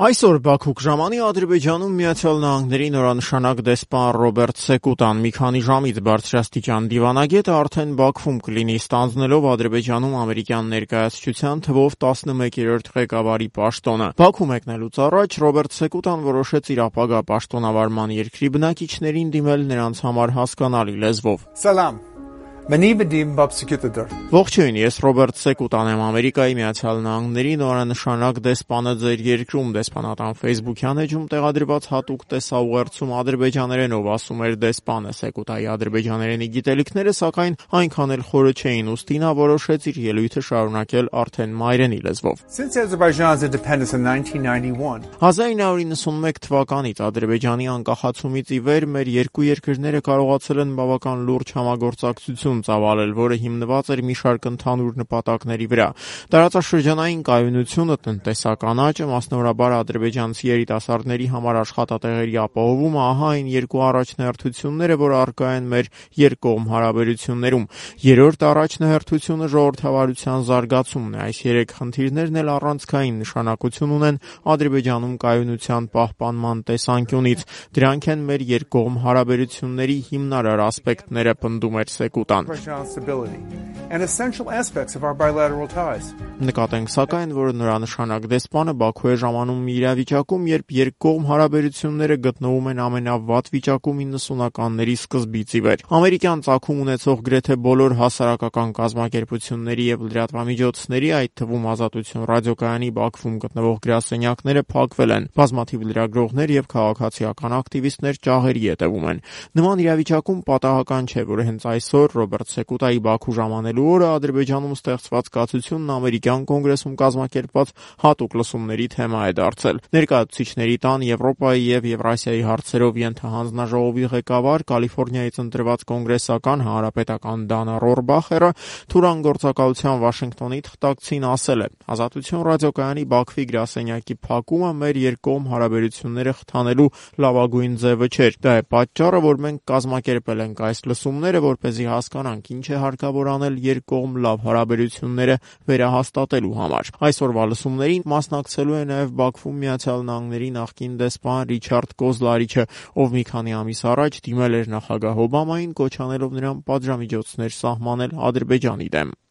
Այսօր Բաքու ժամանի Ադրբեջանում Միացյալ Նահանգների նորանշանակ դեսպան Ռոբերտ Սեկուտան մի քանի ժամից բարձրաստիճան դիվանագետը արդեն Բաքվում կլինի, ստանձնելով Ադրբեջանում ամերիկյան ներկայացուցչության թվով 11-րդ ղեկավարի պաշտոնը։ Բաքու մեկնելուց առաջ Ռոբերտ Սեկուտան որոշեց իր ապագա պաշտոնավարման երկրի բնակիչներին դիմել նրանց համար հասկանալի լեզվով։ Սալամ։ Ողջույն, ես Ռոբերտ Սեկուտան եմ, Ամերիկայի Միացյալ Նահանգների նորանշանակ դեսպանը ձեր երկրում։ Դեսպանատան ֆեյսբուքյան էջում տեղադրված հատուկ տեսաուղերձում ադրբեջաներենով ասում էր դեսպանը։ Սեկուտայի ադրբեջաներենի գիտելիքները սակայն այնքան էլ խորը չէին, ուստի նա որոշեց իր ելույթը շարունակել արդեն մայրենի լեզվով։ 1991 թվականից Ադրբեջանի անկախացումից ի վեր մեր երկու երկրները կարողացել են բավական լուրջ համագործակցություն ծավալել, որը հիմնված էր մի շարք ընդհանուր նպատակների վրա։ Տարածաշրջանային կայունությունը, տնտեսական աճը, մասնավորաբար ադրբեջանցի երիտասարդների համար աշխատատեղերի ապահովումը, ահա այն երկու առաջնահերթությունները, որ առկա են մեր երկկողմ հարաբերություններում։ Երրորդ առաջնահերթությունը ժողովրդավարության զարգացումն է։ Այս երեք խնդիրներն էլ առանցքային նշանակություն ունեն Ադրբեջանում կայունության պահպանման տեսանկյունից։ Դրանք են մեր երկկողմ հարաբերությունների հիմնարար ասպեկտները, պնդում էր Սեկուտան։ Նկատենք սակայն, որ նորանշանակ դեսպանը Բաքու է ժամանում մի իրավիճակում, երբ երկկողմ հարաբերությունները գտնվում են ամենավատ վիճակում 90-ականների սկզբից ի վեր։ Ամերիկյան ծագում ունեցող գրեթե բոլոր հասարակական կազմակերպությունների եւ լրատվամիջոցների, այդ թվում Ազատություն ռադիոկայանի Բաքվում գտնվող գրասենյակները փակվել են։ Բազմաթիվ լրագրողներ եւ քաղաքացիական ակտիվիստներ ճաղերի հետևում են։ Նման իրավիճակում պատահական չէ, որ հենց այսօր Ռոբերտ Սեկուտայի Բաքու ժամանելու օրը Ադրբեջանում ստեղծված կացությունն ամերիկյան կոնգրեսում կազմակերպված հատուկ լսումների թեմա է դարձել։ Ներկայացուցիչների տան Եվրոպայի եւ Եվրասիայի հարցերով ենթահանձնաժողովի ղեկավար, Կալիֆոռնիայից ընտրված կոնգրեսական հանրապետական Դանա Ռորբախերը Թուրան գործակալության Վաշինգտոնի թղթակցին ասել է. Ազատություն ռադիոկայանի Բաքվի գրասենյակի փակումը մեր երկկողմ հարաբերությունները խթանելու լավագույն ձևը չէր։ Դա է պատճառը, որ մենք կազմակերպել ենք այս լսումները, որպեսզի հասկանանք ինչ է հարկավոր անել երկկողմ լավ հարաբերությունները վերահաստատելու համար։ Այսօրվա լսումներին մասնակցելու է նաև Բաքվում Միացյալ Նահանգների նախկին դեսպան Ռիչարդ Կոզլարիչը, ով մի քանի ամիս առաջ դիմել էր նախագահ Օբամային, կոչ անելով նրան պատժամիջոցներ սահմանել Ադրբեջանի դեմ։